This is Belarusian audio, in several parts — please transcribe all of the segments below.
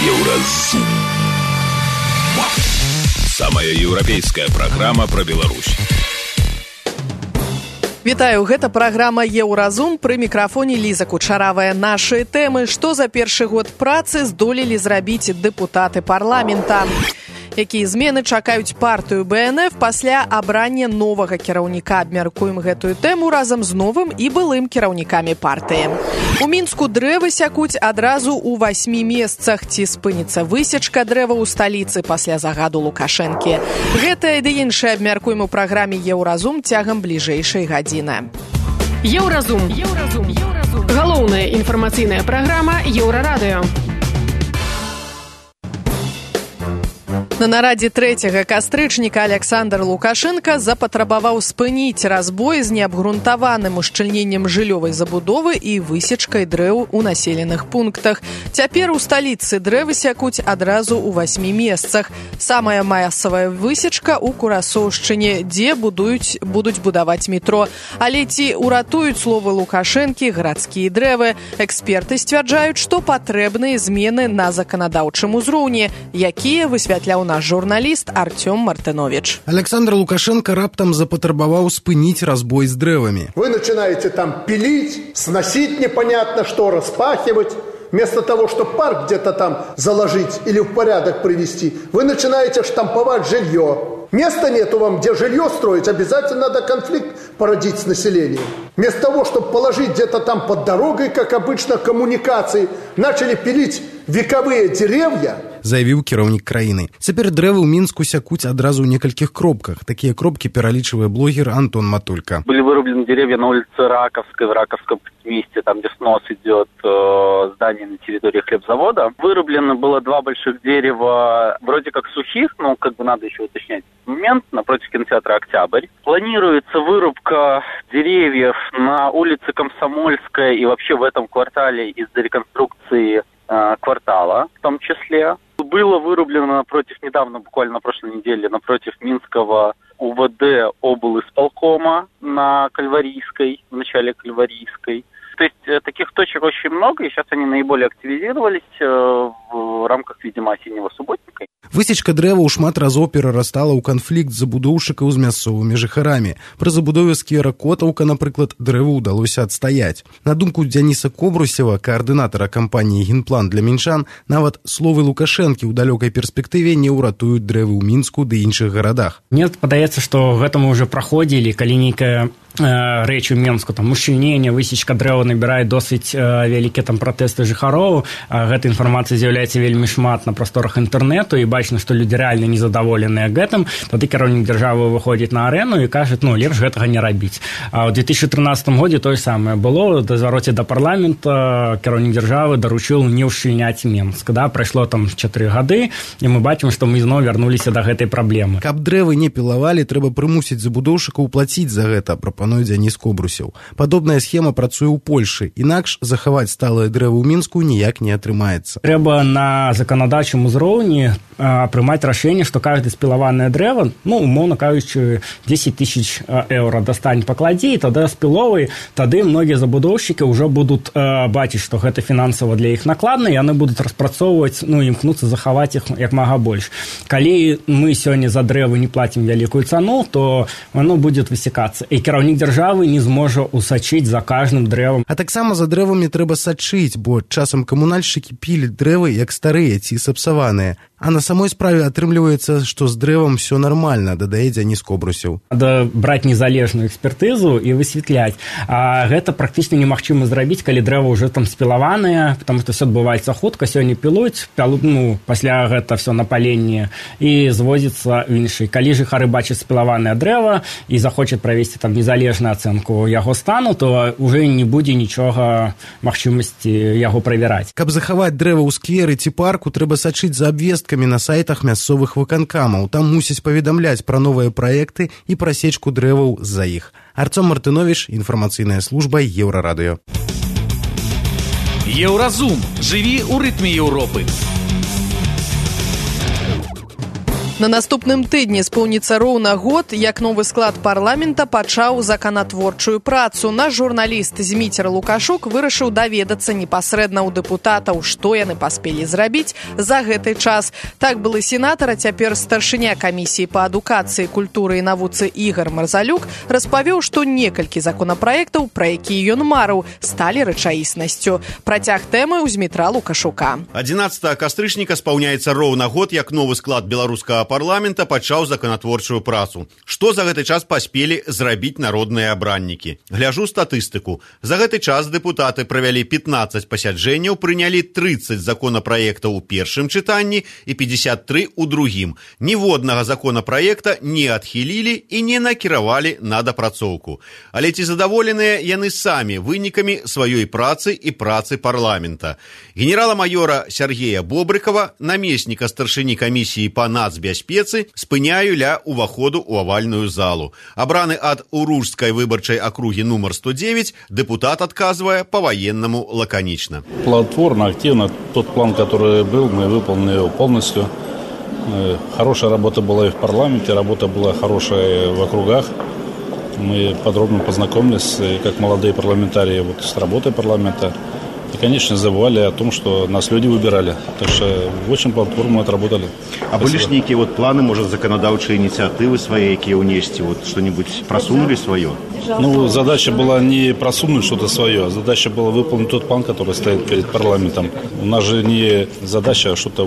Еўразум. Самая еўрапейская праграма пра Беларусь. Вітаю, гэта праграма «Еўразум», пры мікрафоне Ліза Кучаравая. Нашы тэмы, што за першы год працы здолелі зрабіць дэпутаты парламента. Якія змены чакаюць партыю БНФ пасля абрання новага кіраўніка. Абмяркуем гэтую тэму разам з новым і былым кіраўнікамі партыі. У Мінску дрэвы сякуць адразу ў 8 месцах. Ці спыніцца высечка дрэва ў сталіцы пасля загаду Лукашэнкі. Гэтае ды іншае абмяркуем у праграме «Еўразум» цягам бліжэйшай гадзіны. Еўразум. Галоўная інфармацыйная праграма Еўрарадыё. На нарадзе 3 кастрычніка Александр Лукашенко запатрабаваў спыніць разбой з неабгрунтаваным ушчыльненнем жыллёвай забудовы і высечкай дрэў у населеных пунктах. Цяпер у сталіцы дрэвы сякуць адразу ў 8 месцах. Самая масавая высечка ў Курасоўшчыне, дзе будуць будаваць метро. Але ці ўратуюць словы Лукашэнкі гарадскія дрэвы? Эксперты сцвярджаюць, што патрэбныя змены на заканадаўчым узроўні, якія высвятляў наш журналіст Артём Мартынович. Александр Лукашенко раптам запатрабаваў спыніць разбой с древами. Вы начинаете там пилить, сносить непонятно что, распахивать. Вместо того, чтобы парк где-то там заложить или в порядок привести, вы начинаете штамповать жилье. Места нету вам, где жилье строить, обязательно надо конфликт породить с населением. Вместо того, чтобы положить где-то там под дорогой, как обычно, коммуникации, начали пилить вековые деревья, заявіў кіраўнік краіны. Цяпер дрэвы ў Мінску сякуць адразу ў некалькіх кропках. Такія кропкі пералічвае блогер Антон Матулька. Были вырублены деревья на улице Раковской, в Раковском месте, там, где снос идет здание на территории хлебзавода. Вырублено было 2 больших дерева, вроде как сухих, но как бы надо еще уточнять момент, напротив кинотеатра «Октябрь». Планируется вырубка деревьев на улице Комсомольская и вообще в этом квартале из-за реконструкции квартала в том числе. Было вырублено недавно, буквально на прошлой неделе, напротив Минского УВД облисполкома на Кальварийской, в начале Кальварийской. То есть таких точек очень много, и сейчас они наиболее активизировались в рамках, видимо, осеннего субботника. Высечка дрэваў шмат разоў перарастала ў канфлікт забудоўшчыкаў з мясцовымі жыхарамі. Пры забудове сквера Котаўка, напрыклад, дрэву ўдалося адстаяць. На думку Дзяніса Кобрусева, каардынатара кампаніі «Генплан для мінчан», нават словы Лукашэнкі ў далёкай перспектыве не ўратуюць дрэвы ў Мінску ды іншых гарадах. Мне падаецца, што гэта мы ўжо праходзілі, калі нейкая рэч у Мінску, там ушчыльненне, высечка дрэва набірае досыць вялікія там пратэсты жыхароў. Гэта інфармацыя з'яўляецца вельмі шмат на прасторах інтэрнэту, і бачна, што людзі рэальна незадаволеныя гэтым. Тады кіраўнік дзяржавы выходзіць на арэну і кажа, лепш гэтага не рабіць. А ў 2013 годзе тое самае было. Да звароце да парламента кіраўнік дзяржавы даручыў не ўшчыльняць Мінск. Прайшло там 4 гады, і мы бачым, што мы зноў вярнуліся да гэтай праблемы. Каб дрэвы не пілавалі, трэба прымусіць забудоўшчыкаў плаціць за гэта, прапануе Дзяніс Кобрусеў. Падобная схема працуе ў Польшы. Інакш захаваць сталыя дрэвы ў Мінску ніяк не атрымаецца. Трэба на заканадаўчым узроўні прымаць рашэнне, што кожнае спілаванае дрэва, умоўна кажучы, 10 000 еўра дастань пакладзі, і тады спіловай, тады многія забудоўшчыкі ўжо будуць бачыць, што гэта фінансава для іх накладна, і яны будуць распрацоўваць, імкнуцца захаваць іх як мага больш. Калі мы сёння за дрэвы не плацім вялікую цану, то оно будзе высякацца. І кіраўнік дзяржавы не зможа усачыць за кожным дрэвам. А таксама за дрэвамі трэба сачыць, бо часам камунальшчыкі піляць дрэвы як старыя ці сапсаваныя. А на самой справе атрымліваецца, што з дрэвам все нормально, дадае Дзяніс Кобрусеў. Надо браць незалежную экспертызу і высвятляць. А гэта практычна немагчыма зрабіць, калі дрэва ўжо там спілаваныя, потому што все адбываецца хутка, сёння пілуць, пасля гэта все на паленне і звозіцца ў іншы. Калі жыхары бачаць спілаванае дрэва і захочуць правесці там незалежную ацэнку яго стану, то ўжо не будзе нічога магчымасці яго правяраць. Каб захаваць дрэва ў скверы ці парку, трэба сачыць за абвесткамі на сайтах мясцовых выканкамаў. Там мусіць паведамляць пра новыя праекты і пра сечку дрэваў з-за іх. Артём Мартынович, інфармацыйная служба Еўрарадыё. Еўразум. Жыві ў рытме Еўропы. На наступным тыдні споўніцца роўна год, як новы склад парламента пачаў законатворчую працу. Наш журналіст Зміцер Лукашук вырашыў даведацца непасрэдна ў дэпутатаў, што яны паспелі зрабіць за гэты час. Так былы сенатар, а цяпер старшыня камісіі па адукацыі, культуры і навуцы Ігар Марзалюк распавёў, што некалькі законапраектаў, пра якія ён марыў, сталі рэчаіснасцю. Працяг тэмы ў Змітра Лукашука. 11 кастрычніка спаўняецца роўна год, як новы склад беларускага парламента пачаў законатворчую працу. Што за гэты час паспелі зрабіць народныя абраннікі? Гляжу статыстыку. За гэты час дэпутаты правялі 15 пасяджэнняў, прынялі 30 законапраектаў у першым чытанні і 53 у другім. Ніводнага законапраекта не адхілілі і не накіравалі на дапрацоўку. Але ці задаволеныя яны самі вынікамі сваёй працы і працы парламента? Генерала-майора Сергея Бобрыкова, намесніка старшыні камісіі па нацбяспецы, спыняю ля уваходу ў авальную залу. Абраны ад Уружскай выбарчай акругі нумар 109, депутат отказывая по-военному лаконично. Плодотворно, активно. Тот план, который был, мы выполнили его полностью. Хорошая работа была и в парламенте, работа была хорошая в округах. Мы подробно познакомились, как молодые парламентарии, с работой парламента. И, конечно, забывали о том, что нас люди выбирали. Так что очень платформу отработали. А были ж некие планы, может, законодавчие инициативы свои, какие унести, что-нибудь просунули свое? Задача была не просунуть что-то свое, а задача была выполнить тот план, который стоит перед парламентом. У нас же не задача что-то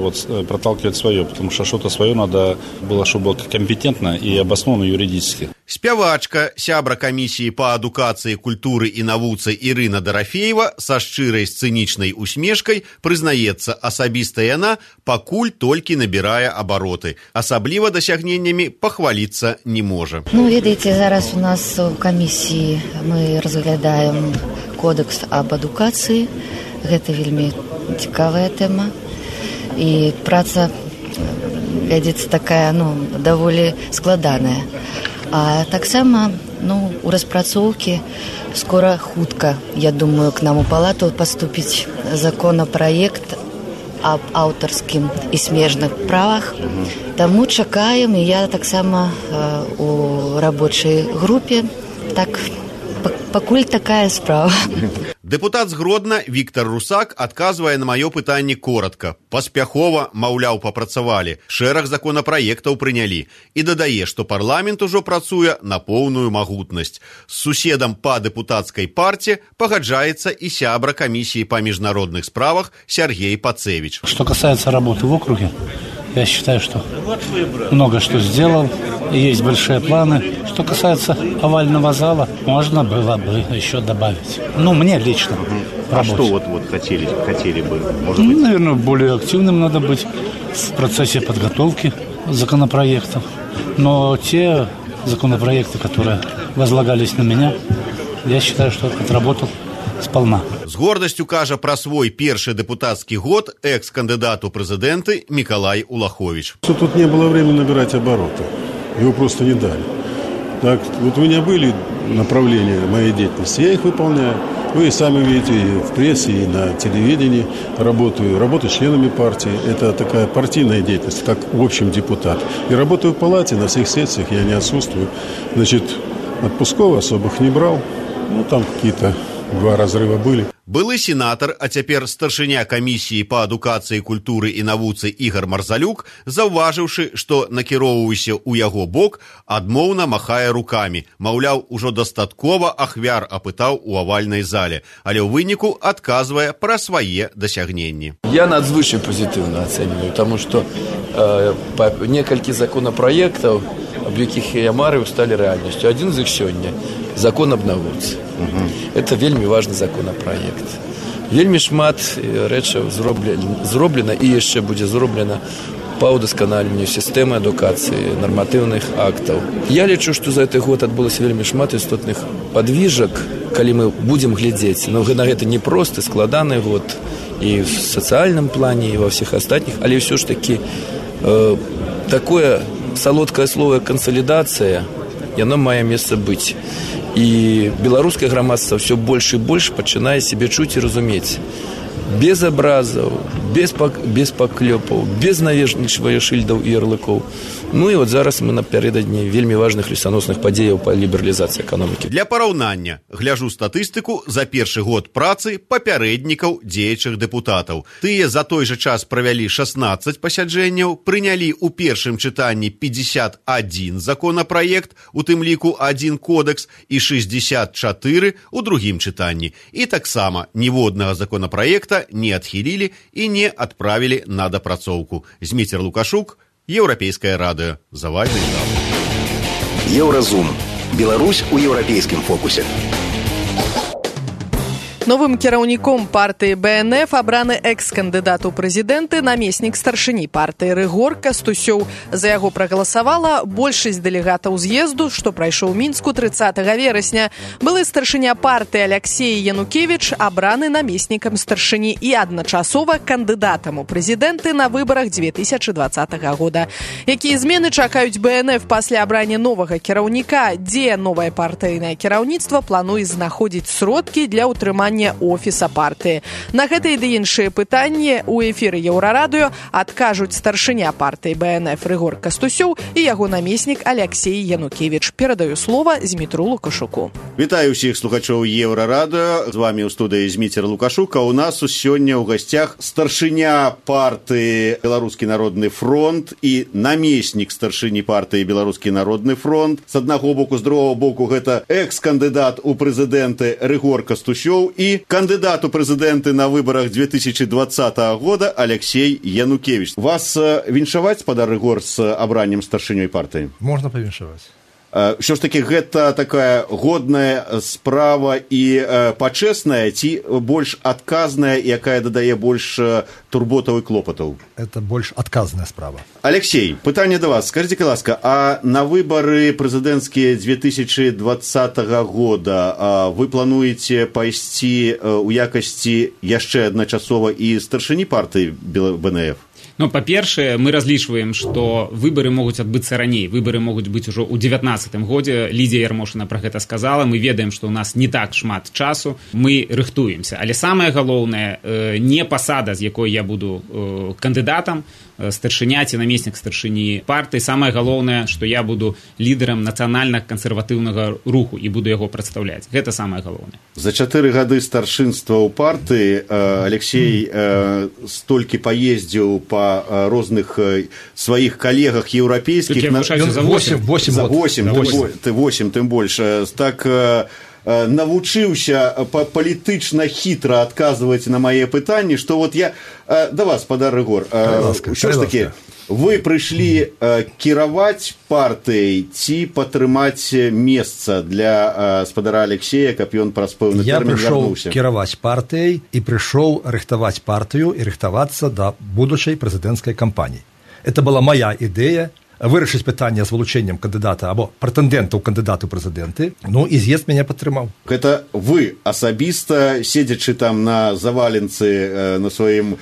проталкивать свое, потому что что-то свое надо было, чтобы было компетентно и обосновано юридически. Спявачка, сябра камісіі па адукацыі, культуры і навуцы Ірына Дарафеева са шчырай сцэнічнай усмешкай прызнаецца, асабіста яна пакуль толькі набірае абароты. Асабліва дасягненнямі пахваліцца не можа. Ведаеце, зараз у нас у камісіі мы разглядаем кодекс об адукацыі. Гэта вельмі цікавая тэма. І праца вядзецца такая, даволі складаная. А таксама, у распрацоўкі скора хутка, я думаю, к нам у палату паступіць законапраект об аўтарскім і смежных правах. Таму чакаем, і я таксама у рабочай групе. Так, пакуль такая справа. Дэпутат з Гродна Віктор Русак адказвае на маё пытанне коротка. Паспяхова, маўляў, папрацавалі, шэраг законапраектаў прынялі. І дадае, што парламент ужо працуе на поўную магутнасць. З суседам па дэпутацкай парце пагаджаецца і сябра камісіі па міжнародных справах Сергей Пацевич. Что касается работы в округе, я считаю, что много что сделал, и есть большие планы. Что касается овального зала, можно было бы еще добавить. Мне лично. А что хотели бы? Может быть? Наверное, более активным надо быть в процессе подготовки законопроектов. Но те законопроекты, которые возлагались на меня, я считаю, что отработал сполна. З гордасцю кажа пра свой першы дэпутацкі год экс-кандыдат у прэзідэнты Миколай Улахович. Тут не было времени набирать обороты. Его просто не дали. Так, у меня были направления моей деятельности, я их выполняю. Вы сами видите и в прессе, и на телевидении работаю членами партии. Это такая партийная деятельность, как в общем депутат. И работаю в палате, на всех сессиях я не отсутствую. Отпусков особых не брал. Там какие-то 2 разрыва были. Былы сенатар, а цяпер старшыня камісіі па адукацыі, культуры і навуцы Ігар Марзалюк, заўважыўшы, што накіроўваўся ў яго бок, адмоўна махае рукамі. Маўляў, ужо дастаткова ахвяр апытаў у авальнай зале, але ў выніку адказвае пра свае дасягненні. Я надзвычай пазітыўна ацэньваю, таму што некалькі законапраектаў, аб якіх я марыў, сталі рэальнасцю. Адзін з іх сёння – закон аб навуцы. Это вельмі важны законопроект. Вельмі шмат рэчаў зроблена і яшчэ будзе зроблена па ўдасканаленню сістэмы адукацыі, нарматыўных актаў. Я лічу, што за гэты год адбылося вельмі шмат істотных падвіжак, калі мы будзем глядзець. На гэта не просты, складаны год і в сацыяльным плане, і ва ўсіх астатніх, але ўсё ж такі такое салодкае слово «кансалідацыя», яно мае месца быць. І беларускае грамадства ўсё больш і больш пачынае сябе чуць і разумець. Без абразаў, без паклёпаў, без навешвання шыльдаў і ярлыкоў. Ну і вот зараз мы напярэдадні вельмі важных лесаносных падзеяў па лібералізацыі эканомікі. Для параўнання гляжу статыстыку за першы год працы папярэднікаў дзеячых дэпутатаў. Тыя за той жа час правялі 16 пасяджэнняў, прынялі ў першым чытанні 51 законапраект, у тым ліку 1 кодекс, і 64 у другім чытанні. І таксама ніводнага законапраекта не адхілілі і не адправілі на дапрацоўку. Зміцер Лукашук, Еўрапейскае радыё. Завальны зал. Еўразум. Беларусь у еўрапейскім фокусе. Новым кіраўніком партыі БНФ абраны экс-кандыдат у прэзідэнты, намеснік старшыні партыі Рыгор Кастусёў. За яго прагаласавала большасць дэлегатаў з'езду, што прайшоў у Мінску 30 верасня. Былы старшыня партыі Алексей Янукевич абраны намеснікам старшыні і адначасова кандыдатам у прэзідэнты на выбарах 2020 года. Якія змены чакаюць БНФ пасля абрання новага кіраўніка? Дзе новае партыйнае кіраўніцтва плануе знаходзіць сродкі для ўтрымання офіса партыі? На гэтыя ды іншыя пытанні ў эфіры Еўрарадыё адкажуць старшыня партыі БНФ Рыгор Кастусёў і яго намеснік Алексей Янукевич. Перадаю слова Змітру Лукашуку. Вітаю ўсіх слухачоў Еўрарадыё. З вами ў студыі Зміцер Лукашук. А у нас сёння ў гасцях старшыня партыі Беларускі народны фронт і намеснік старшыні партыі Беларускі народны фронт. З аднаго боку, з другого боку, гэта экс-кандыдат у прэзідэнты Рыгор Кастусёў і кандыдат у прэзідэнты на выбарах 2020 года Алексей Янукевич. Вас віншаваць, спадар Рыгор, з абраннем старшынёй партыі? Можна павіншаваць. Що ж таки, гэта такая годная справа і пачэсная, ці больш адказная, якая дадае больш турботаў і клопатаў? Это больш адказная справа. Алексей, пытанне да вас. Скажите, ласка, а на выбары прэзідэнцкія 2020 года вы плануеце пайсці у якасці яшчэ адначасова і старшыні партыі БНФ? Ну, па-першае, мы разлічваем, што выбары могуць адбыцца раней. Выбары могуць быць ужо ў 2019 годзе. Лідзія Ярмошына пра гэта сказала. Мы ведаем, што ў нас не так шмат часу. Мы рыхтуемся. Але самае галоўнае, не пасада, з якой я буду кандыдатам, старшыня ці намеснік старшыні партыі. Самае галоўнае, што я буду лідарам нацыянальна-кансерватыўнага руху і буду яго прадстаўляць. Гэта самае галоўнае. За 4 гады старшынства ў партыі Алексей столькі паездзіў па розных сваіх калегах еўрапейскіх. За 8, тым больш. Так навучыўся палітычна хітра адказваць на мае пытанні, што вот я да вас, спадар Рыгор, ўсё ж такі, вы прыйшлі кіраваць партыяй ці падтрымаць месца для спадара Алексея, каб ён праз пэўны тэрмін вярнуўся? Я прыйшоў кіраваць партыяй і прыйшоў рыхтаваць партыю і рыхтавацца да будучай прэзідэнцкай кампаніі. Это была моя ідэя вырашыць пытанне з вылучэннем кандыдата або прэтэндэнта ў кандыдату прэзідэнты, ну і з'езд мяне падтрымаў. Гэта вы асабіста, седзячы там на заваленцы на сваім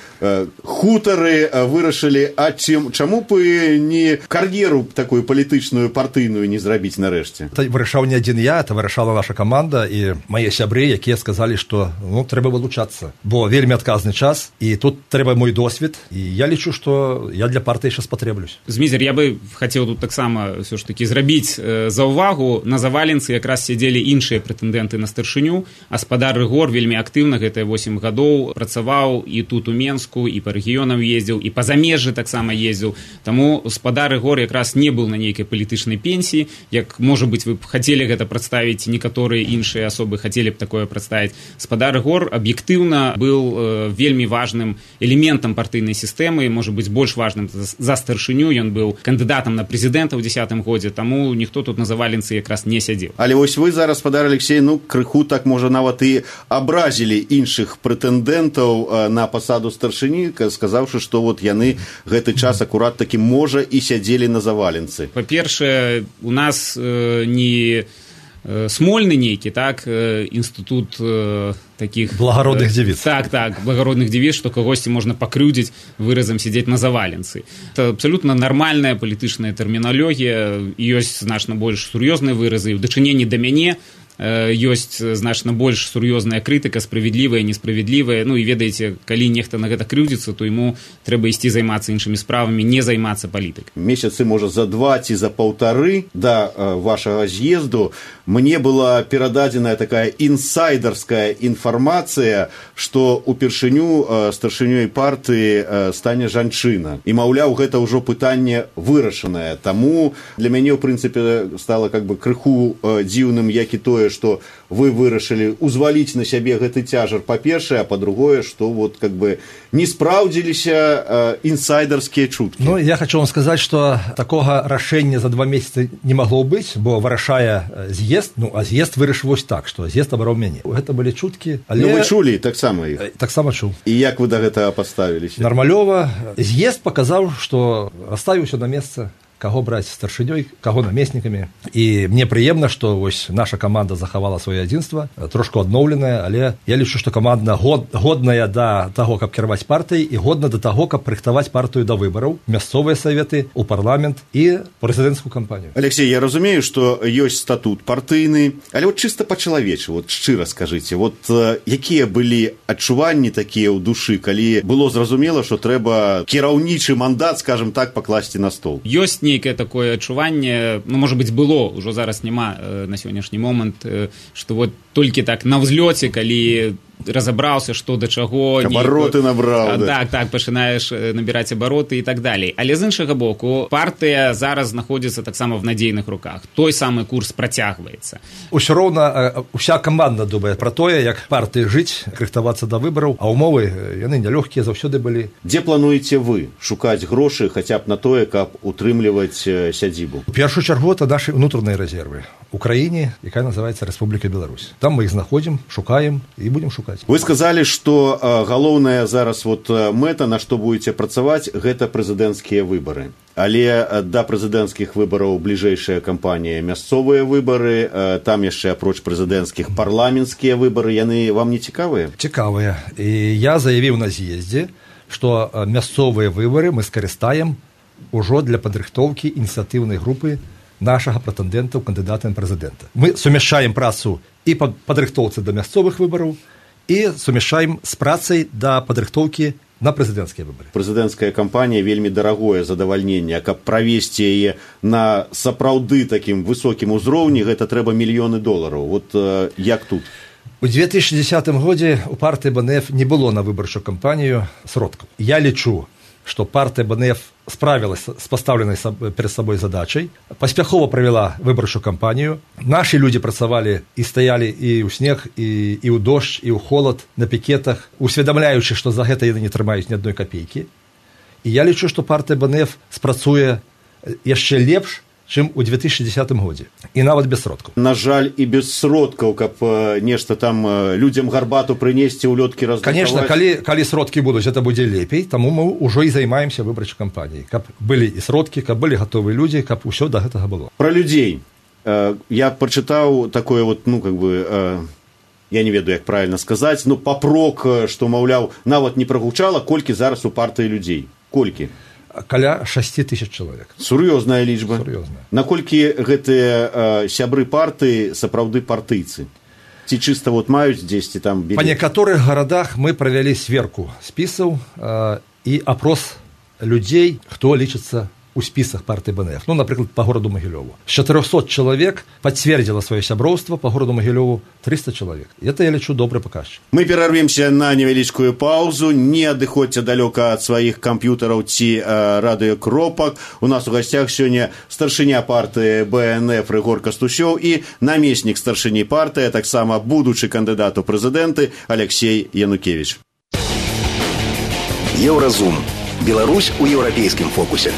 хутары, вырашылі, а чаму б не кар'еру такую палітычную, партыйную не зрабіць нарэшце? Это вырашаў не адзін я, это вырашала наша каманда і мае сябры, якія сказалі, што трэба вылучацца, бо вельмі адказны час, і тут трэба мой досвед, і я лічу, што я для партыі яшчэ спатрэблюсь. Змізер, я бы хацеў тут таксама ўсё ж такі зрабіць заўвагу. На заваленцы якраз сядзелі іншыя прэтэндэнты на старшыню, а спадар Рыгор вельмі актыўна гэтыя 8 гадоў працаваў і тут у Менску, і па рэгіёнам ездзіў, і па замежжы таксама ездзіў. Таму спадар Рыгор якраз не быў на нейкай палітычнай пенсіі, як, можа быць, вы б хацелі гэта прадставіць, некаторыя іншыя асобы хацелі б такое прадставіць. Спадар Рыгор аб'ектыўна быў вельмі важным элементам партыйнай сістэмы, можа быць, больш важным за старшыню. Ён быў кандыдатам на прэзідэнта ў 2010 годзе, таму ніхто тут на заваленцы якраз не сядзеў. Але вось вы зараз, спадар Алексей, крыху так, можа, нават і абразілі іншых прэтэндэнтаў на пасаду старшыні, сказаўшы, што вот яны гэты час акурат такі, можа, і сядзелі на заваленцы. Па-першае, у нас не смольны нейкі, так, інстытут таких благородных девиц. Так, благородных девиц, што кагосьці можна пакрыўдзіць выразам сидзець на заваленцы. Это абсолютно нармальная палітычная тэрміналогія, ёсць значна больш сур'ёзныя выразы. У дачыненні да мяне ёсць значна больш сур'ёзная крытыка, справядлівая, несправядлівая. Ну і ведаеце, калі нехта на гэта крыўдзіцца, то яму трэба ісці займацца іншымі справамі, не займацца палітыкай. Месяцы, можа, за 2 ці за 1,5 да вашага з'езду мне была перададзеная такая інсайдерская інфармацыя, што упершыню старшынёй партыі стане жанчына. І, маўляў, гэта ўжо пытанне вырашанае. Таму для мяне, ў прынцыпе, стала как бы крыху дзіўным, як і тое, што вы вырашылі узваліць на сябе гэты цяжар, па-першае, а па-другое, што вот как бы не спраўдзіліся інсайдерскія чуткі. Ну, я хочу вам сказаць, што такога рашэння за 2 месяцы не магло быць, бо вырашае з'езд, ну, а з'езд вырашыў вось так, што з'езд абраў мяне. Гэта былі чуткі, але... Ну, вы чулі таксама іх? Таксама чуў. І як вы да гэтага паставіліся? Нармалёва. З'езд паказаў, што расставіўся на месца, каго браць старшынёй, каго намеснікамі. І мне прыемна, што вось наша каманда захавала сваё адзінства, трошку адноўленае, але я лічу, што каманда годная да таго, каб кіраваць партыяй, і годна да таго, каб рыхтаваць партыю да выбараў, мясцовыя саветы, у парламент і прэзідэнцкую кампанію. Алексей, я разумею, што ёсць статут партыйны, але вот чыста па-чалавечы, вот шчыра скажыце, вот якія былі адчуванні такія ў душы, калі было зразумела, што трэба кіраўнічы мандат, скажем так, пакласці на стол? Ёсць нейкае такое адчуванне, ну, можа быць, было, ўжо зараз няма на сённяшні момант, што вот толькі так на ўзлёце, калі разабраўся, што да чаго... Абароты набраў, да. Так, пачынаеш набіраць абароты і так далей. Але з іншага боку, партыя зараз знаходзіцца таксама в надзейных руках. Той самы курс працягваецца. Усё роўна уся каманда думае пра тое, як партыі жыць, рыхтавацца да выбараў, а ўмовы яны нялёгкія заўсёды былі. Дзе плануеце вы шукаць грошы хаця б на тое, каб утрымліваць сядзібу? У першую чаргу это нашы ўнутраныя рэзервы ў краіне, якая называецца Рэспубліка Беларусь. Там мы іх знаходзім, шукаем і будзем шукаць. Вы сказалі, што галоўная зараз вот мэта, на што будзеце працаваць, гэта прэзідэнцкія выбары. Але да прэзідэнцкіх выбараў бліжэйшая кампанія мясцовыя выбары, там яшчэ апроч прэзідэнцкіх парламенцкія выбары, яны вам не цікавыя? Цікавыя. І я заявіў на з'ездзе, што мясцовыя выбары мы скарыстаем ужо для падрыхтоўкі ініцыятыўнай групы нашага прэтэндэнта ў кандыдата на прэзідэнта. Мы сумяшчаем працу і па падрыхтоўцы да мясцовых выбараў, і сумяшчаем з працай да падрыхтоўкі на прэзідэнцкія выбары. Прэзідэнцкая кампанія вельмі дарагое задавальненне, каб правесці яе на сапраўды такім высокім узроўні, гэта трэба $мільёны. Вот як тут? У 2010 годзе у партыі БНФ не было на выбарчую кампанію сродкаў. Я лічу, што партыя БНФ справілася з пастаўленай перад сабой задачай, паспяхова правяла выбарчую кампанію. Нашы людзі працавалі і стаялі і ў снег, і ў дождж, і ў холад, на пікетах, усведамляючы, што за гэта яны не трымаюць ні адной капейкі. І я лічу, што партыя БНФ спрацуе яшчэ лепш, чым у 2010 годзе. І нават без сродкаў. На жаль, і без сродкаў, каб нешта там людзям гарбату прынесці, улёткі раздрукаваць. Конечно, калі сродкі будуць, гэта будзе лепей, таму мы ўжо і займаемся выбарчай кампаніяй. Каб былі і сродкі, каб былі гатовыя людзі, каб усё да гэтага было. Пра людзей. Я прачытаў такое вот, ну, как бы... Я не ведаю, як правильно сказаць, но папрок, што, маўляў, нават не прагучала, колькі зараз у партыі людзей. Колькі? Каля 6 000 чалавек. Сур'ёзная лічба. Сур'ёзная. Наколькі гэтыя сябры партыі сапраўды партыйцы? Ці чыста вот маюць дзесьці там... Па некаторых гарадах мы правялі сверку спісаў і апрос людзей, хто лічыцца у спісах партыі БНФ. Ну, напрыклад, па гораду Магілёву. З 400 чалавек пацвердзіла сваё сяброўства, па гораду Магілёву 300 чалавек. Это, я лічу, добры паказчык. Мы перарвемся на невялічкую паузу. Не адыходзьце далёка ад сваіх камп'ютараў ці радыёкропак. У нас у гасцях сёння старшыня партыі БНФ Рыгор Кастусёў і намеснік старшыні партыі, таксама будучы кандыдат у прэзідэнты Алексей Янукевич. Еўразум. Беларусь у еўрапейскім фокусе.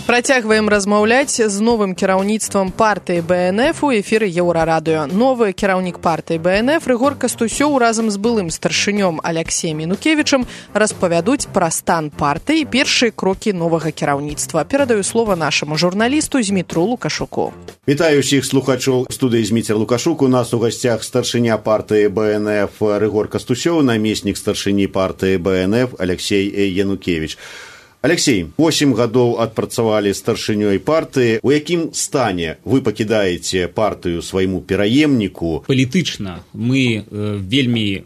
Працягваем размаўляць з новым кіраўніцтвам партыі БНФ у эфіры Еўрарадыё. Новы кіраўнік партыі БНФ Рыгор Кастусёў разам з былым старшынём Алексеем Янукевічам распавядуць пра стан партыі і першыя крокі новага кіраўніцтва. Перадаю слова нашаму журналісту Змітру Лукашуку. Вітаю ўсіх слухачоў студыі Зміцер Лукашук. У нас у гасцях старшыня партыі БНФ Рыгор Кастусёў, намеснік старшыні партыі БНФ Алексей Янукевич. Алексей, 8 гадоў адпрацавалі старшынёй партыі. У якім стане вы пакідаеце партыю свайму пераемніку? Палітычна мы вельмі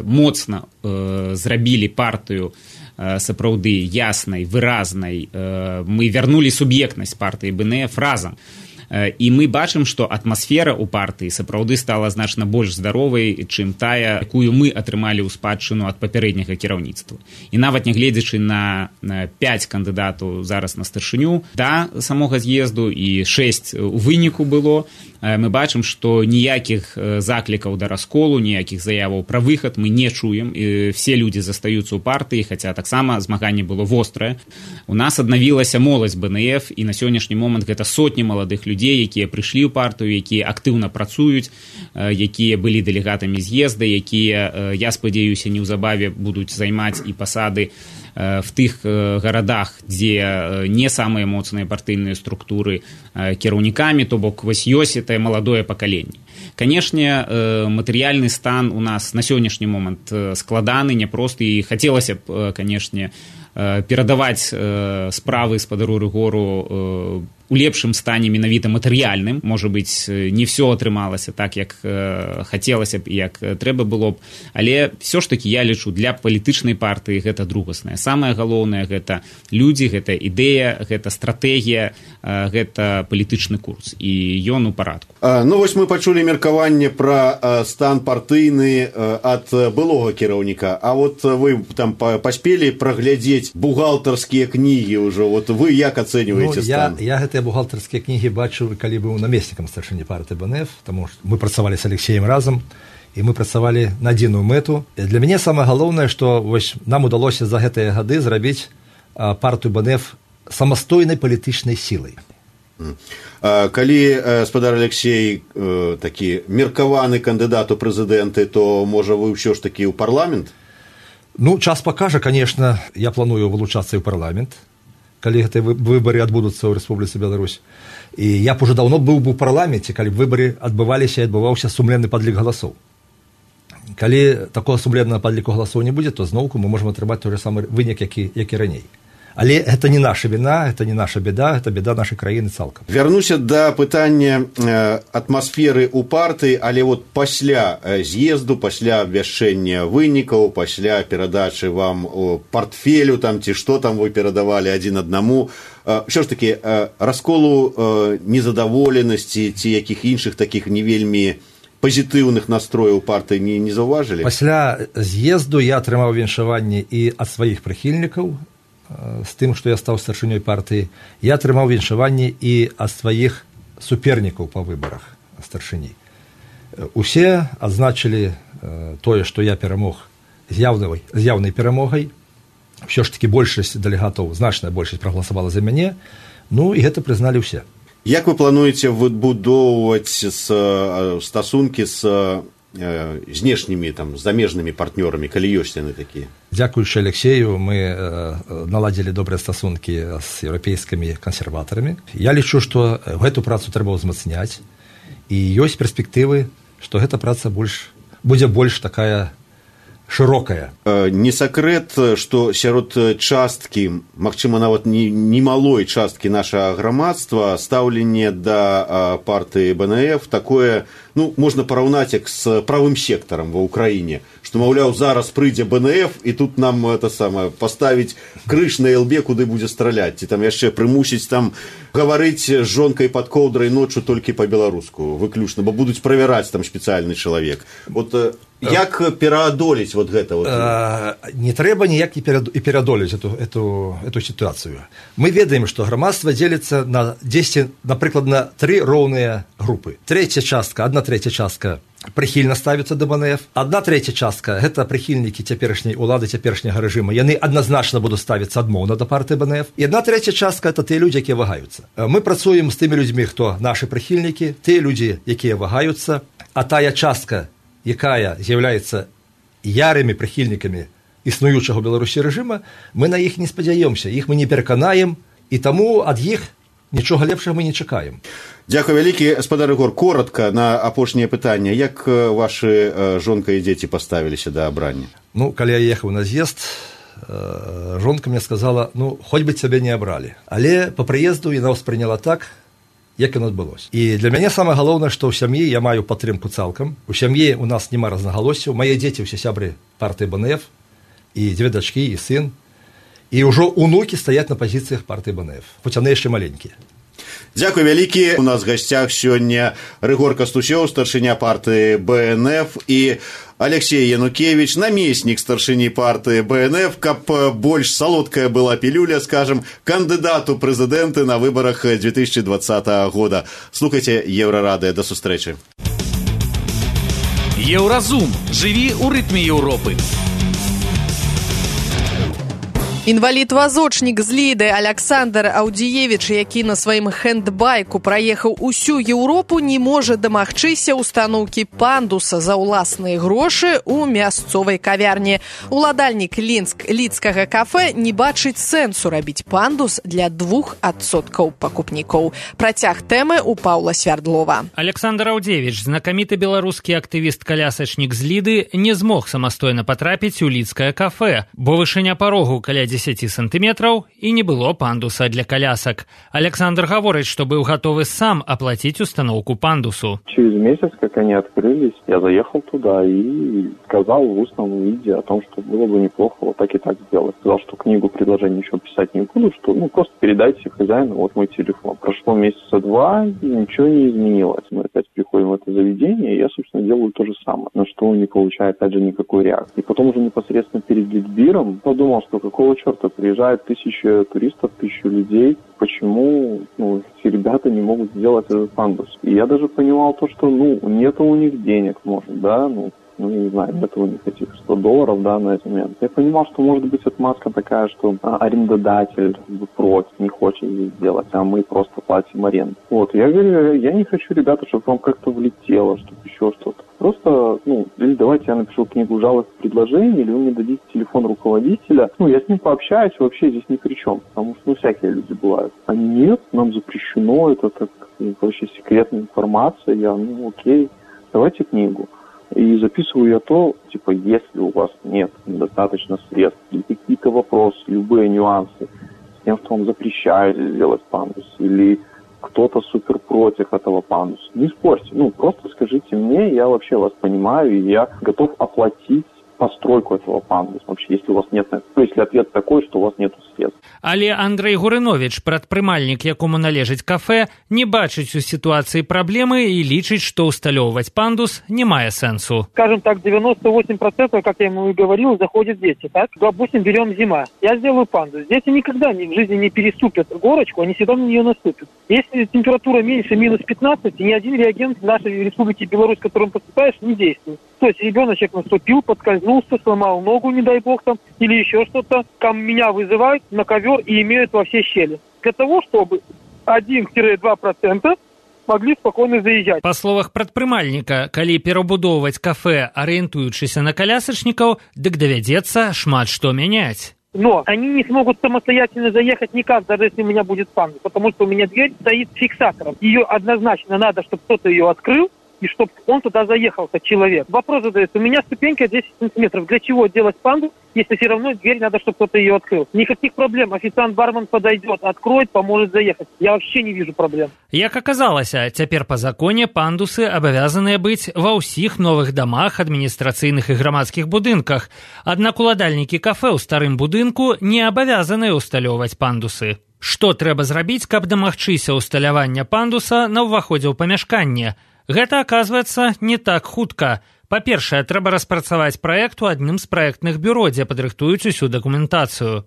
моцна зрабілі партыю сапраўды яснай, выразнай. Мы вярнулі суб'ектнасць партыі БНФ разам. І мы бачым, што атмасфера ў партыі сапраўды стала значна больш здаровай, чым тая, якую мы атрымалі ў спадчыну ад папярэдняга кіраўніцтва. І нават нягледзячы на 5 кандыдатаў зараз на старшыню да самога з'езду і 6 у выніку было, мы бачым, што ніякіх заклікаў да расколу, ніякіх заяваў пра выхад мы не чуем. І все людзі застаюцца ў партыі, хаця таксама змаганне было вострае. У нас аднавілася моладзь БНФ, і на сённяшні момант гэта сотні маладых людзей, якія прыйшлі ў партыю, якія актыўна працуюць, якія былі дэлегатамі з'езда, якія, я спадзяюся, неўзабаве будуць займаць і пасады в тых гарадах, дзе не самыя моцныя партыйныя структуры кіраўнікамі, то бок вось ёсць это маладое пакаленне. Канешне, матэрыяльны стан у нас на сённяшні момант складаны, няпросты, і хацелася б, канешне, перадаваць справы спадару Рыгору у лепшым стане менавіта матэрыяльным. Можа быць, не ўсё атрымалася так, як хацелася б і як трэба было б, але ўсё ж такі я лічу, для палітычнай партыі гэта другаснае. Самае галоўнае гэта людзі, гэта ідэя, гэта стратэгія, гэта палітычны курс, і ён у парадку. Ну вось мы пачулі меркаванне пра стан партыйны ад былога кіраўніка, а вот вы там паспелі праглядзець бухгалтарскія кнігі ўжо, вот вы як ацэньваеце стан? Я гэтыя бухгалтарскія кнігі бачыў, калі быў намеснікам старшыні партыі БНФ, таму што мы працавалі з Алексеем разам, і мы працавалі на адзіную мэту. Для мяне самае галоўнае, што вось нам удалося за гэтыя гады зрабіць партыю БНФ самастойнай палітычнай сілай. Калі спадар Алексей такі меркаваны кандыдат у прэзідэнты, то можа вы ўсё ж такі ў парламент? Ну, час пакажа, конечно, я планую вылучацца ў парламент, калі гэтыя выбары адбудуцца ў Рэспубліцы Беларусь. І я б уже даўно быў бы ў парламенце, калі б выбары адбываліся і адбываўся сумленны падлік галасоў. Калі такога сумленнага падліку галасоў не будзе, то зноўку мы можам атрымаць той же самы вынік, які раней. Але гэта не наша віна, гэта не наша беда, гэта беда нашай краіны цалкам. Вярнуся да пытання атмасферы ў партыі, але вот пасля з'езду, пасля абвяшчэння вынікаў, пасля перадачы вам партфелю там ці што там вы перадавалі адзін аднаму, ўсё ж такі расколу незадаволенасці ці якіх іншых такіх не вельмі пазітыўных настрояў партыі не заўважылі? Пасля з'езду я атрымаў віншаванне і ад сваіх прыхільнікаў, з тым, што я стаў старшынёй партыі. Я атрымаў віншаванне і ад сваіх супернікаў па выбарах старшыні. Усе адзначылі тое, што я перамог з яўнай перамогай. Ўсё ж такі большасць дэлегатаў, значная большасць прагаласавала за мяне, ну і гэта прызналі ўсе. Як вы плануеце выбудоўваць стасункі з знешнімі, там, замежнымі партнёрамі, калі ёсць яны такія? Дзякуючы Алексею мы наладзілі добрыя стасункі з еўрапейскімі кансерватарамі. Я лічу, што гэту працу трэба ўзмацняць, і ёсць перспектывы, што гэта праца будзе больш такая шырокая. Не сакрэт, што сярод часткі, магчыма, нават не малой часткі нашага грамадства стаўленне да партыі БНФ такое, ну, можна параўнаць як з правым сектарам ва ўкраіне, што, маўляў, зараз прыйдзе БНФ і тут нам это самае паставіць крыж на ЛБ, куды будзе страляць, ці там яшчэ прымусіць там гаварыць з жонкай пад коўдрай ноччу толькі па-беларуску выключна, бо будуць правяраць там спецыяльны чалавек. Вот як пераадолець вот гэта? Вот? Не трэба ніяк і пераадолець эту сітуацыю. Мы ведаем, што грамадства дзеліцца на 10, напрыклад, на 3 роўныя групы. Адна трэця частка прыхільна ставіцца да БНФ. Адна трэця частка – гэта прыхільнікі цяперашняй улады, цяперашняга рэжыма. Яны адназначна будуць ставіцца адмоўна да партыі БНФ. І адна трэця частка – гэта тыя людзі, якія вагаюцца. Мы працуем з тымі людзьмі, хто нашы прыхільнікі, тыя людзі, якія вагаюцца, а тая частка, якая з'яўляецца ярымі прыхільнікамі існуючага ў Беларусі рэжыма, мы на іх не спадзяёмся, іх мы не пераканаем, і таму ад іх нічога лепшага мы не чакаем. Дзякуй вялікі, спадар Ігор. Коротка на апошняе пытанне. Як вашы жонка і дзеці паставіліся да абрання? Ну, калі я ехаў на з'езд, жонка мне сказала, ну, хоть бы цябе не абралі. Але по прыезду яна ўспрыняла так, як яно адбылося. І для мяне самае галоўнае, што ў сям'і я маю падтрымку цалкам. У сям'і у нас няма рознагалоссяў. Мае дзеці ўсе сябры партыі БНФ, і 2 дачкі, і сын. І ўжо унукі стаяць на пазіцыях партыі БНФ, хоць яны яшчэ маленькія. Дзякуй вялікі. У нас в гасцях сёння Рыгор Кастусёў, старшыня партыі БНФ, і Алексей Янукевич, намеснік старшыні партыі БНФ, каб больш салодкая была пілюля, скажем, кандыдат у прэзідэнты на выбарах 2020 года. Слухайце Еўрарадыё. До сустрэчы. Еўразум. Жыві ў рытме Еўропы. Інвалід-вазочнік з Ліды Александр Аўдзіевіч, які на сваім хэндбайку праехаў усю Еўропу, не можа дамагчыся ўстаноўкі пандуса за ўласныя грошы ў мясцовай кавярні. Уладальнік лідскага кафэ не бачыць сэнсу рабіць пандус для 2% пакупнікоў. Працяг тэмы у Паўла Свярдлова. Александр Аўдзіевіч, знакаміты беларускі актывіст-калясачнік з Ліды, не змог самастойна патрапіць у лідскае кафэ, бо вышыня парогу каля 10 сантиметров и не было пандуса для колясок. Александр говорит, что был готов сам оплатить установку пандусу. Через месяц, как они открылись, я заехал туда и сказал в устном виде о том, что было бы неплохо вот так и так сделать. Сказал, что книгу предложений еще писать не буду, что просто передайте хозяину вот мой телефон. Прошло месяца 2, и ничего не изменилось. Мы опять приходим в это заведение, и я, собственно, делаю то же самое, на что не получаю, опять же, никакой реакции. И потом уже непосредственно перед Литбиром подумал, что какого черта приезжает 1000 туристов, 1000 людей, почему эти ребята не могут сделать этот пандус. И я даже понимал то, что нету у них денег, может, да, я не знаю, нет у них этих $100, да, на этот момент. Я понимал, что может быть отмазка такая, что арендодатель против, не хочет здесь сделать, а мы просто платим аренду. Вот, я говорю, я не хочу, ребята, чтобы вам как-то влетело, чтобы еще что-то. Просто, или давайте я напишу книгу жалоб и предложений, или вы мне дадите телефон руководителя. Я с ним пообщаюсь, вообще здесь ни при чем, потому что, всякие люди бывают. А нет, нам запрещено, это так, вообще секретная информация. Я, окей, давайте книгу. И записываю я то, если у вас нет недостаточно средств, или какие-то вопросы, любые нюансы с тем, что вам запрещают сделать пандус, или кто-то супер против этого пандуса, не спорьте, просто скажите мне, я вообще вас понимаю, и я готов оплатить постройку этого пандуса, вообще, если у вас нет, если ответ такой, что у вас нет средств. Але Андрей Гурынович, прадпрымальнік, якому належыць кафе, не бачыць у ситуации проблемы и лічыць, что усталёўваць пандус не мае сенсу. Скажем так, 98%, как я ему и говорил, заходят дети, так? Допустим, берем зима. Я сделаю пандус. Дети никогда в жизни не переступят горочку, они всегда на нее наступят. Если температура меньше минус 15, ни один реагент в нашей республике Беларусь, которым поступаешь, не действует. То есть ребеночек наступил, подскользнулся, сломал ногу, не дай бог там, или еще что-то. Там меня вызывают на ковер и имеют во все щели. Для того, чтобы 1-2% могли спокойно заезжать. Па словах прадпрымальніка, калі перабудоўваць кафе, арыентуючыся на колясачнікаў, дык давядзецца шмат што мяняць. Но они не смогут самостоятельно заехать никак, даже если у меня будет пандус, потому что у меня дверь стоит фиксатором. Ее однозначно надо, чтобы кто-то ее открыл, и чтобы он туда заехал, как человек. Вопрос задается, у меня ступенька 10 сантиметров. Для чего делать пандус, если все равно дверь надо, чтобы кто-то ее открыл? Никаких проблем. Официант-бармен подойдет, откроет, поможет заехать. Я вообще не вижу проблем. Як аказалася, цяпер па законе пандусы абавязаныя быць ва ўсіх новых дамах, адміністрацыйных і грамадскіх будынках. Аднак уладальнікі кафе ў старым будынку не абавязаныя ўсталёўваць пандусы. Што трэба зрабіць, каб дамагчыся ўсталявання пандуса на ўваходзе ў памяшканне? Гэта, аказваецца, не так хутка. Па-першае, трэба распрацаваць праект у адным з праектных бюро, дзе падрыхтуюць усю дакументацыю.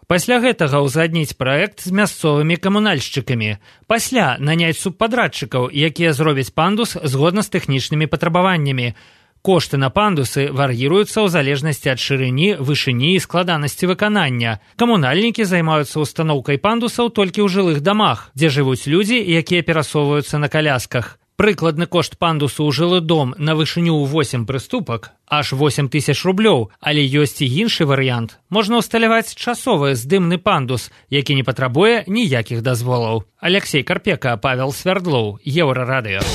Пасля гэтага ўзгадніць праект з мясцовымі камунальшчыкамі. Пасля наняць субпадрадчыкаў, якія зробяць пандус згодна з тэхнічнымі патрабаваннямі. Кошты на пандусы вар'іруюцца ў залежнасці ад шырыні, вышыні і складанасці выканання. Камунальнікі займаюцца устаноўкай пандусаў толькі ў жылых дамах, дзе жывуць людзі, якія перасоўваюцца на калясках. Прыкладны кошт пандусу ў жылы дом на вышыню ў 8 прыступак аж 8 000 рублёў, але ёсць і іншы варыянт. Можна ўсталяваць часовы здымны пандус, які не патрабуе ніякіх дазволаў. Алексей Карпека, Павел Свярдлоў, Еўрарадыё.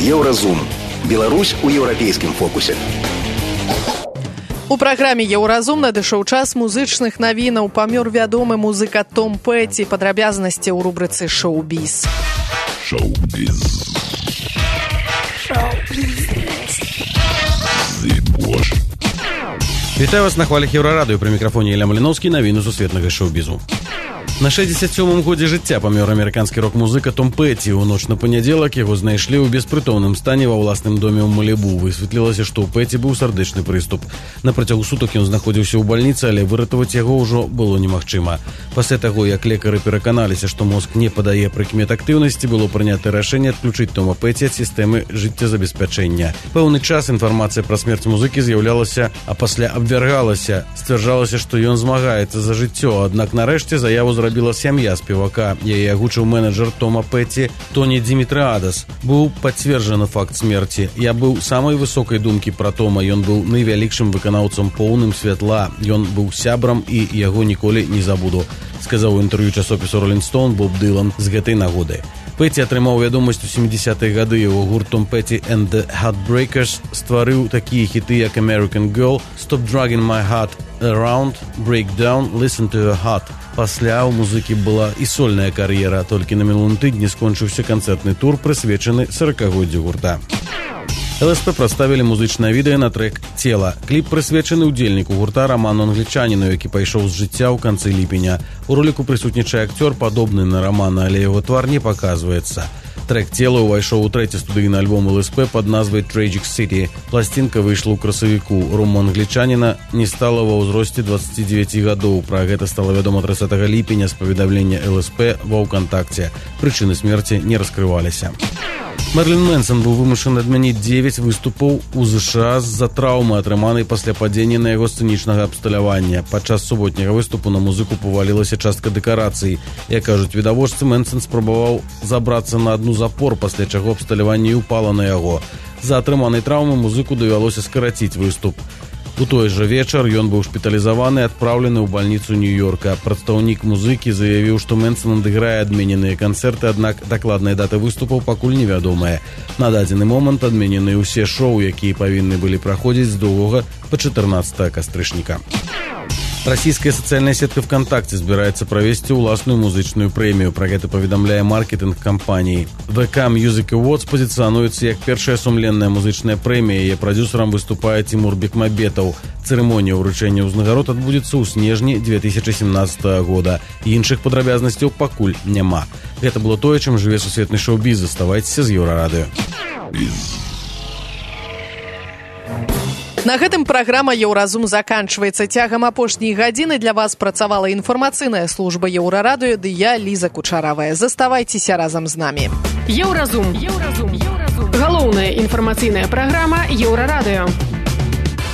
Еўразум. Беларусь у еўрапейскім фокусе. У праграме «Еўразум» надышоў час музычных навінаў. Памёр вядомы музыка Том Пэти. Падрабязнасці ў рубрыцы «Шоу-біз». Вітаю вас на хвалях Еўрарадыё. Пры мікрафоне Ілля Маліноўскі, навіны сусветнага шоу-бізу. На 67-м годзе жыцця памёр амерыканскі рок-музыка Том Пэти. У ноч на панядзелак яго знайшлі ў беспрытомным стане ва ўласным доме ў Малібу. Высветлілася, што ў Пэти быў сардэчны прыступ. На працягу сутак ён знаходзіўся ў бальніцы, але выратаваць яго ўжо было немагчыма. Пасля таго, як лекары пераканаліся, што мозг не падае прыкмет актыўнасці, было прынята рашэнне адключыць Тома Пэти ад сістэмы жыццезабеспячэння. Пэўны час інфармацыя пра смерць музыкі з'яўлялася, а пасля абвяргалася. Сцвярджалася, што ён змагаецца за жыццё, аднак нарэшце заяву зрабіла сям'я спевака. Яе агучыў менеджер Тома Пэти Тоні Димитриадас. Быў пацверджаны факт смерці. Я быў самай высокай думкі пра Тома. Ён быў найвялікшым выканаўцам, поўным святла. Ён быў сябрам і яго ніколі не забуду, сказаў у інтэрв'ю часопісу Rolling Stone Боб Дылан з гэтай нагоды. Пэти атрымаў вядомасць у 70-е гады. Яго гурт Tom Petty and the Heartbreakers стварыў такія хіты, як American Girl, Stop Dragging My Heart Around, Break Down, Listen to Your Heart. Пасля ў музыкі была і сольная кар'ера. Толькі на мінулым тыдні скончыўся канцэртны тур, прысвечаны 40-годдзю гурта. ЛСП прадставілі музычнае відэа на трэк «Цела». Кліп прысвечаны ўдзельніку гурта Раману Англічаніну, які пайшоў з жыцця ў канцы ліпеня. У роліку прысутнічае акцёр, падобны на Рамана, але яго твар не паказваецца. Трэк «Цела» увайшоў у трэці студыйны альбом ЛСП пад назвай «Tragic City». Пласцінка выйшла ў красавіку. Рома Англічаніна не стала ва ўзросце 29 гадоў. Пра гэта стала вядома 30 ліпеня з паведамлення ЛСП ва ўКантакце. Прычыны смерці не раскрываліся. Мерлін Мэнсон быў вымушаны адмяніць 9 выступаў у ЗША з-за траўмы, атрыманай пасля падзення на яго сцэнічнага абсталявання. Падчас суботняга выступу на музыку павалілася частка дэкарацый. Як кажуць відавочцы, Мэнсон спрабаваў забрацца на адну з апор, пасля чаго абсталяванне ўпала на яго. З-за атрыманай траўмы музыку давялося скараціць выступ. У той жа вечар ён быў шпіталізаваны і адпраўлены ў бальніцу Нью-Йорка. Прадстаўнік музыкі заявіў, што Мэнсон адыграе адмененыя канцэрты, аднак дакладная дата выступаў пакуль невядомая. На дадзены момант адменены ўсе шоу, якія павінны былі праходзіць з 2 па 14 кастрычніка. Расійская сацыяльная сетка ВКонтакте збіраецца правесці ўласную музычную прэмію. Пра гэта паведамляе маркетинг кампаніі. VK Music Awards пазіцыянуецца як першая сумленная музычная прэмія. Яе прадзюсарам выступае Тимур Бекмамбетов. Цырымонія ўручэння ўзнагарод адбудзецца ў снежні 2017 года. Іншых падрабязнасцяў пакуль няма. Гэта было тое, чым жыве сусветны шоу-біз. Заставайцеся з Еўрарадыё. На гэтым праграма «Еўразум» заканчваецца. Цягам апошняй гадзіны для вас працавала інфармацыйная служба Еўрарадыё, ды я, Ліза Кучаравая. Заставайцеся разам з намі. Еўразум. Галоўная інфармацыйная праграма Еўрарадыё.